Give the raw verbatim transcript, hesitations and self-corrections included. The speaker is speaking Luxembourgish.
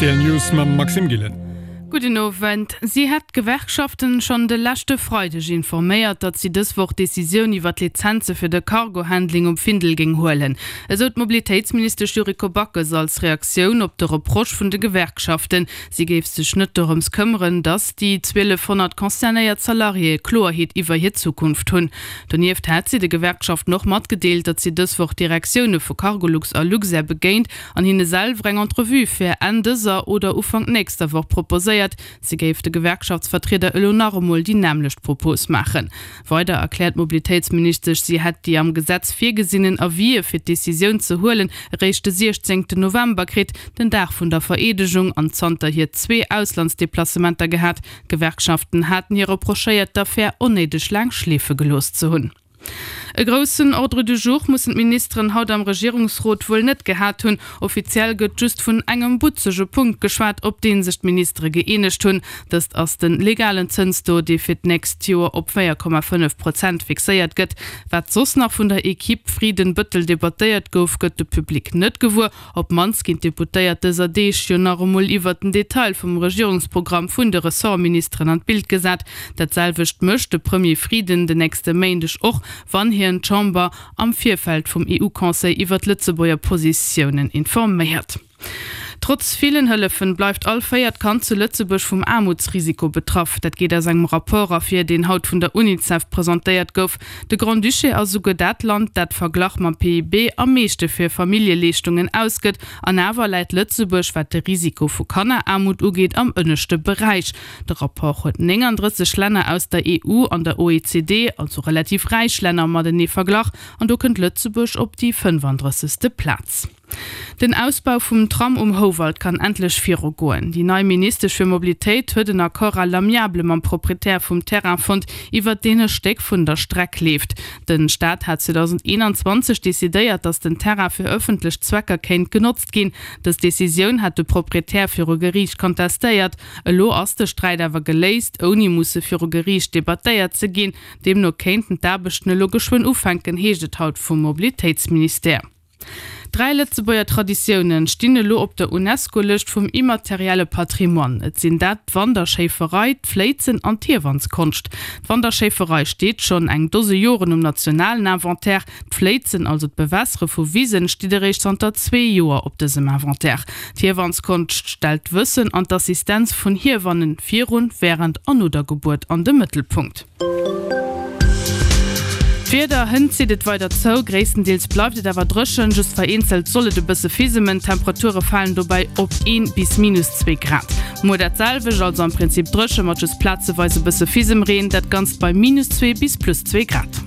R T L News mam Maxime Gillen. Gudden Owend. Si hätt d'Gewerkschaften schonn de leschte Freideg informéiert, datt si dës Woch d'Decisioun iwwer d'Lizenze fir de Cargo-Handling um Findel géing huelen. Esou d'Mobilitéitsministesch Yuriko Backes als Reaktioun op de Reproche vun de Gewerkschaften. Si géif sech net dorëms këmmeren, datt déi zwielefhonnert concernéiert Salariéë Kloerheet iwwer hir Zukunft hunn. Donieft hätt si de Gewerkschaften och matgedeelt, datt si dës Woch d'Direktioune vu Cargolux a Luxair begéint an hinne selwer eng Entrevue fir Enn dëser oder Ufank nächster Woch proposéiert. Si géif de Gewerkschaftsvertrieder elo nach emol déi nämmlecht Propos maachen. Weider erkläert d'Mobilitéitsministesch, si hätt déi am Gesetz virgesinnen Avisë fir d'Decisioun ze huelen eréischt de siechzéngten November kritt, den Dag vun der Vereedegung, an zanterhier zwee Auslandsdeplacementer gehat. D'Gewerkschaften haten hir reprochéiert, d'Affär onnéideg laang schleefe gelooss ze hunn. E groussen Ordre du jour mussen d'Ministeren haut am Regierungsrot wuel net gehat hunn. Offiziell gëtt just vun engem butzege Punkt geschwat, op dee sech d'Ministere gëeenegt hunn. Dëst ass de legalen Zënstaux, dee fir d'nächst Joer op véier Komma fënnef Prozent fixéiert gëtt. Wat soss nach vun der Equipe Frieden-Bëttel debattéiert gouf, gëtt de Public net gewuer. Op d'mannst ginn d'Deputéiert dëser Deeg jo nach emol iwwert den Detail vum Regierungsprogramm vun de Ressortministeren an d'Bild gesat. Dat selwecht mécht de Premier Frieden den nächste Méindeg och, wann hien d'Chamber am Virfeld vum E U-Conseil iwwer d'Lëtzebuerger Positiounen informéiert. Trotz villen Hëllefen bleift all véiert Kand zu Lëtzebuerg vum Aarmutsrisiko betraff. Dat geet aus engem Rapport ervir, deen haut vun der Unicef presentéiert gouf. De Grand-Duché ass esouguer dat Land, dat verglach mam P I B am meeschte fir Familljeleeschtungen ausgëtt. An awer läit Lëtzebuerg, wat de Risiko vu Kanneraarmut ugeet, am ënneschte Beräich. De Rapport huet nénganddrësseg Länner aus der E U an der O E C D, also relativ räich Länner, matenee verglach an do kënnt Lëtzebuerg op déi fënnefandrëssegste Plaz. Den Ausbau vum Tram um Houwald kann endlech virugoen. Déi nei Ministesch fir Mobilitéit huet en Accord à l'amiable mam Proprietär vum Terrain fonnt, iwwert deen e Stéck vun der Streck leeft. De Staat hat zweedausendeenanzwanzeg decidéiert, datt den Terrain fir ëffentlech Zwecker kéint genotzt ginn. Dës Decisioun hat de Proprietär viru Geriicht kontestéiert. Elo ass de Sträit awer geléist, ouni musse viru Geriicht debattéiert ze ginn. Deemno kéinten d'Aarbechten elo geschwënn ufänken, heescht et haut vum Mobilitéitsministère. Dräi Lëtzebuerger Traditioune stinn elo op der Unesco-Lëscht vum immaterielle Patrimoine. Et sinn dat d'Wanderschéiferei, d'Fléizen an d'Hiewanskonscht. D'Wanderschéiferei steet schonn eng Dose Joren um nationalen Inventaire. D'Fléizen, also d'Bewässere vu Wisen, steet eréischt zanter zwee Joer op dësem Inventaire. D'Hiewanskonscht stellt d'Wëssen an d'Assistenz vun Hiewannen virun, wärend an no der Gebuert an de Mëttelpunkt. D'Wieder, Hënt zitt et weider zou, gréisstendeels bleift et awer dréchen, just vereenzelt soll et e bësse fisemen. D'Temperature falen dobäi op een bis minus zwee Grad. Muer dat selwecht, also am Prinzip dréche mat just plazeweis e bësse Fisemreen, dat Ganzt bei minus zwee bis plus zwee Grad.